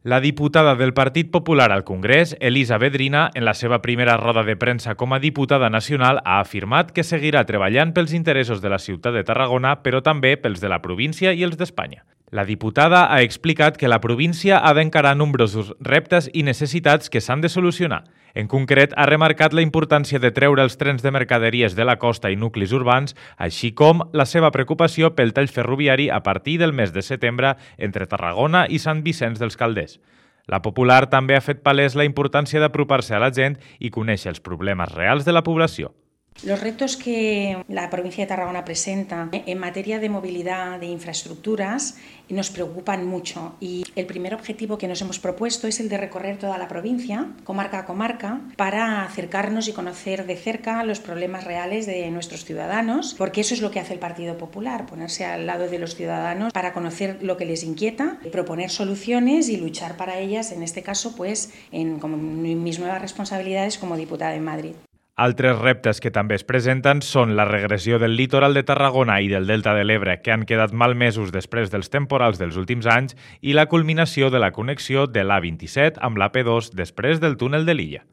La diputada del Partit Popular al Congrés, Elisa Vedrina, en la seva primera roda de premsa com a diputada nacional, ha afirmat que seguirà treballant pels interessos de la ciutat de Tarragona, però també pels de la província i els d'Espanya. La diputada ha explicat que la província ha d'encarar nombrosos reptes i necessitats que s'han de solucionar. En concret, ha remarcat la importància de treure els trens de mercaderies de la costa i nuclis urbans, així com la seva preocupació pel tall ferroviari a partir del mes de setembre entre Tarragona i Sant Vicenç dels Calders. La Popular també ha fet palès la importància d'apropar-se a la gent i conèixer els problemes reals de la població. Los retos que la provincia de Tarragona presenta en materia de movilidad, de infraestructuras, nos preocupan mucho y el primer objetivo que nos hemos propuesto es el de recorrer toda la provincia, comarca a comarca, para acercarnos y conocer de cerca los problemas reales de nuestros ciudadanos, porque eso es lo que hace el Partido Popular, ponerse al lado de los ciudadanos para conocer lo que les inquieta, proponer soluciones y luchar para ellas, en este caso, pues, con mis nuevas responsabilidades como diputada en Madrid. Altres reptes que també es presenten són la regressió del litoral de Tarragona i del Delta de l'Ebre, que han quedat malmesos després dels temporals dels últims anys, i la culminació de la connexió de l'A27 amb l'AP2 després del túnel de l'Illa.